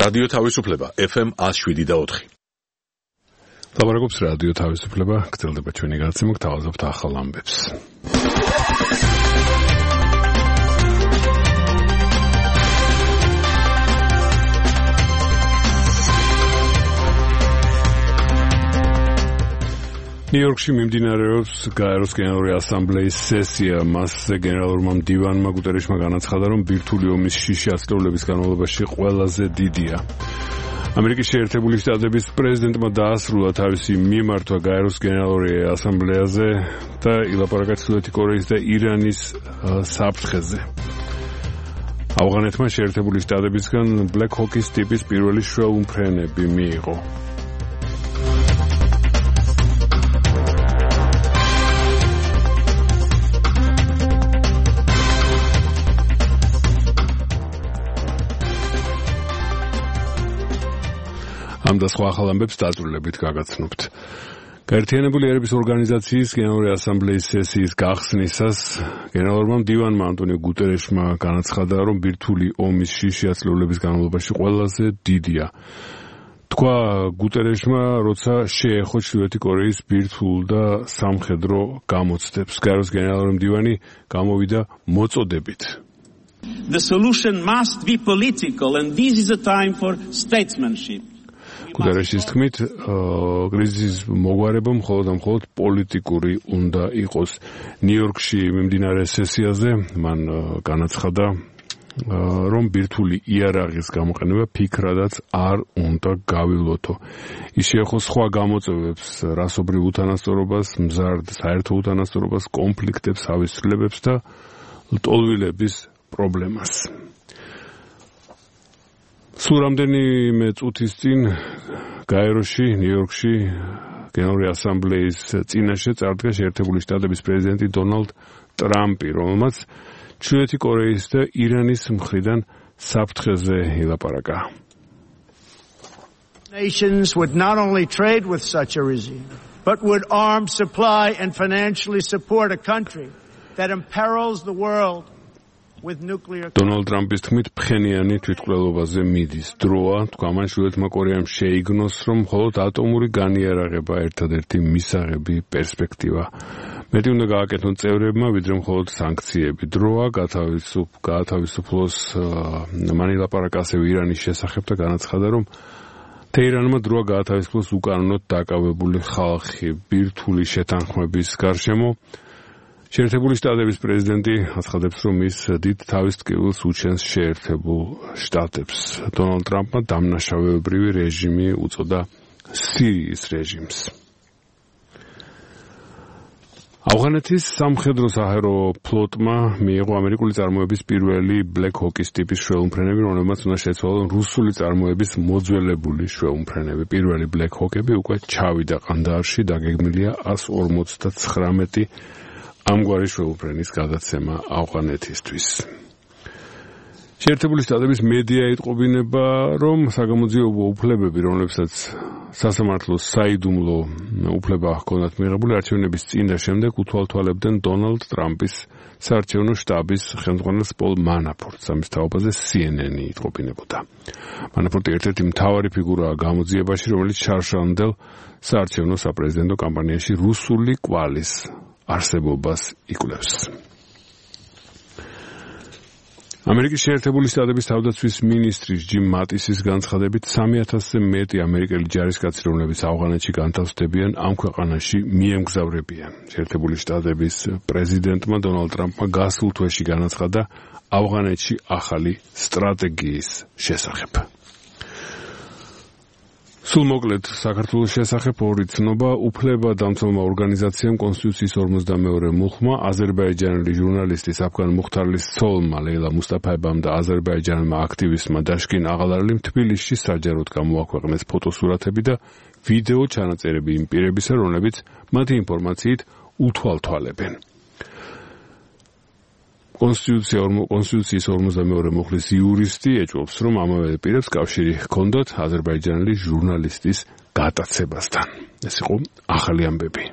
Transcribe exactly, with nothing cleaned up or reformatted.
რადიო თავისუფლება ეფ ემ one oh seven და four. ლაპარაკობს რადიო თავისუფლება, გრძელდება ჩვენი გადაცემა, გთავაზობთ ახალ ამბებს. ნიუ-იორკში მიმდინარეობს გაეროს გენერალური ასამბლეის სესია. მასზე გენერალურმა მდივანმა გუტერეშმა განაცხადა, რომ ბირთვული ომის შიში ათწლეულების განმავლობაში ყველაზე დიდია. ამერიკის შეერთებული შტატების პრეზიდენტმა დაასრულა თავისი მიმართვა გაეროს გენერალური ასამბლეაზე და ილაპარაკა ჩრდილოეთი კორეის და ირანის საფრთხეზე. ავღანეთმა შეერთებული შტატებისგან Black Hawk-ის ტიპის პირველი შრეულმფრენები მიიღო. ამ და სხვა ახალ ამბებს დაწვრილებით გაგაცნობთ. გაერთიანებული ერების ორგანიზაციის გენერალური ასამბლეის სესიის გახსნისას გენერალურმა მდივანმა ანტონიო გუტერეშმა განაცხადა, რომ ბირთვული ომის შიში ათწლეულების განმავლობაში ყველაზე დიდია. თქვა გუტერეშმა, როცა შეეხო ჩრდილოეთი კორეის ბირთვულ და სამხედრო გამოცდებს. გაეროს გენერალური მდივანი გამოვიდა მოწოდებით. The solution must be political and this is a time for statesmanship. გუტერეშის თქმით, კრიზისის მოგვარება მხოლოდ და მხოლოდ პოლიტიკური უნდა იყოს. ნიუ-იორკში მიმდინარე სესიაზე მან განაცხადა, რომ ბირთვული იარაღის გამოყენება ფიქრადაც არ უნდა გავილოთო. ის შეეხო სხვა გამოწვევებს, რასობრივ უთანასწორობას, მზარდ საერთო უთანასწორობას, კონფლიქტებს, ავისწრლებებს და ლტოლვილების პრობლემას. სულ რამდენიმე წუთის წინ გაეროში, ნიუ-იორკში გენერალური ასამბლეის წინაშე წარდგა შეერთებული შტატების პრეზიდენტი დონალდ ტრამპი, რომელმაც ჩრდილოეთი კორეის და ირანის მხრიდან საფრთხეზე ილაპარაკა. Nations would not only trade with such a regime, but would arm, supply and financially support a country that imperils the world. დონალდ ტრამპის თქმით, ფხენიანი თვითმკვლელობაზე მიდის დროა, თქვა მან ჩრდილოეთმა კორეამ შეიგნოს, რომ მხოლოდ ატომური განიარაღება ერთადერთი მისაღები პერსპექტივა. მეტი უნდა გააკეთონ წევრებმა, ვიდრე მხოლოდ სანქციები. დროა გაათავისუფლოს. მან ილაპარაკა ასევე ირანის შესახებ და განაცხადა, რომ თეირანმა დროა გაათავისუფლოს უკანონოდ დაკავებული ხალხი ბირთვული შეთანხმების გარშემო. შეერთებული შტატების პრეზიდენტი აცხადებს, რომ ის დიდ თავის ტკივილს უჩენს შეერთებულ შტატებს. დონალდ ტრამპმა დამნაშავეებრივი რეჟიმი უწოდა სირიის რეჟიმს. ავღანეთის სამხედრო საჰაერო ფლოტმა მიიღო ამერიკული წარმოების პირველი Black Hawk-ის ტიპის შრეულმფრენები, რომლებმაც უნდა შეცვალონ რუსული წარმოების მოძველებული შრეულმფრენები. პირველი Black Hawk-ები უკვე ჩავიდა ყანდაარში, დაგეგმილია one forty-nine ამგვარი შრეულმფრენის გადაცემა ავღანეთისთვის. შეერთებული შტატების მედია იტყობინება, რომ საგამოძიებო უფლებები, რომლებსაც სასამართლოს საიდუმლო უფლება ჰქონდათ მიღებული არჩევნების წინ და შემდეგ უთვალთვალებდნენ დონალდ ტრამპის საარჩევნო შტაბის ხელმძღვანელს პოლ მანაფორტს. ამის თაობაზე სი ენ ენი იტყობინებოდა. მანაფორტი ერთ-ერთი მთავარი ფიგურაა გამოძიებაში, რომელიც შარშანდელ საარჩევნო საპრეზიდენტო კამპანიაში რუსული კვალის არსებობას იკვლევს. ამერიკის შეერთებული შტატების თავდაცვის მინისტრის ჯიმ მატისის განცხადებით სამი ათასზე მეტი ამერიკელი ჯარისკაცი, რომლებიც ავღანეთში განთავსდებიან, ამ ქვეყანაში მიემგზავრებიან. შეერთებული შტატების პრეზიდენტმა დონალდ ტრამპმა გასულ თვეში განაცხადა ავღანეთში ახალი სტრატეგიის შესახებ. სულ მოკლედ საქართველოს შესახებ ორი ცნობა. უფლებადამცველმა ორგანიზაციამ კონსტიტუციის ორმოცდამეორე მუხმა აზერბაიჯანელი ჟურნალისტი საფგან მუხთარლის ცოლმა ლეილა მუსტაფაევამ და აზერბაიჯანელმა აქტივისტმა დაშკინ აღალარლიმ თბილისში საჯაროდ გამოაქვეყნეს ფოტოსურათები და ვიდეო ჩანაწერები იმ პირებისა, რომლებიც მათი ინფორმაციით უთვალთვალებენ. კონსტიტუციის ორმოცდამეორე მუხლის იურისტი ეჭვობს, რომ ამავე პირებს კავშირი ჰქონდათ აზერბაიჯანელი ჟურნალისტის გატაცებასთან. ეს იყო ახალი ამბები.